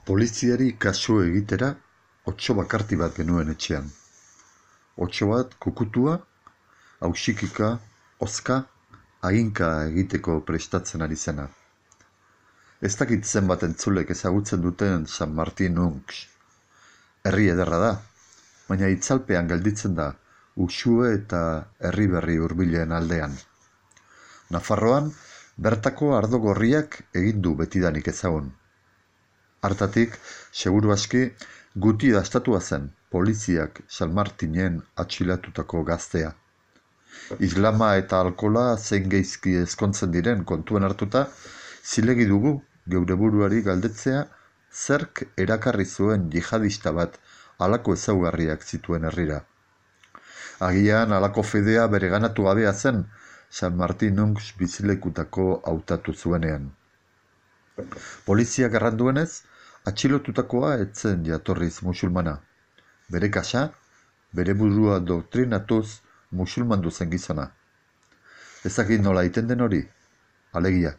Poliziari kasu egitera, otso bakarti bat genuen etxean. Otso bat kukutua, hausikika, hozka, haginka egiteko prestatzen ari zena. Ez dakit zenbat entzulek ezagutzen duten San Martin Unx. Herri ederra da, baina itzalpean gelditzen da, Uxue eta herri berri hurbilen aldean. Nafarroan, bertako ardo gorriak egin du betidanik ezagun. Hartatik, seguru aski, guti dastatua zen poliziak San Martinen atxilatutako gaztea. Islama eta alkola zein geizki ezkontzen diren kontuen hartuta, zilegi dugu geure buruari galdetzea zerk erakarri zuen jihadista bat halako ezaugarriak zituen herrira. Agian halako fedea bereganatu gabea zen San Martin Unx bizilekutako hautatu zuenean. Poliziak erranduenez, atxilotutakoa etzen jatorriz musulmana. Bere kasa, bere burua doktrinatuz musulmandu zen gizona. Ezakit nola iten den hori? Alegia,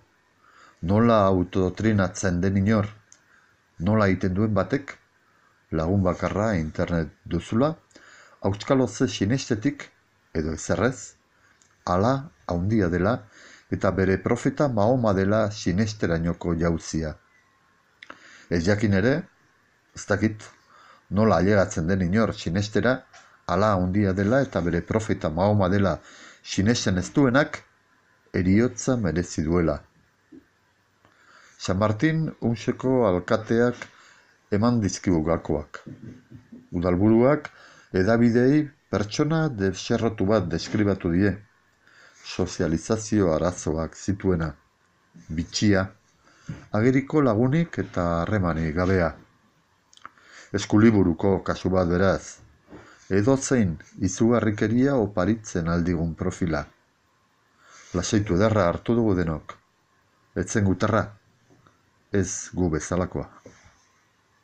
nola autodotrinatzen den inor? Nola iten duen batek? Lagun bakarra internet duzula, auskaloze sinestetik, edo ezerrez, ala haundia dela eta bere profeta Mahoma dela sinesterainoko jauzia. Ez jakin ere, ez dakit, nola ailegatzen den inor sinestera, ala haundia dela eta bere profeta Mahoma dela sinesten ez duenak, heriotza merezi duela. San Martin Unxeko alkateak eman dizkigu gakoak. Udalburuak hedabidei pertsona deserrotu bat deskribatu die. Sozializazio arazoak zituena, bitxia, ageriko lagunik eta harremanik gabea. Eskuliburuko kasu bat beraz, edozein izugarrikeria oparitzen aldigun profila. Lasaitu ederra hartu dugu denok, etzen gutarra, ez gu bezalakoa.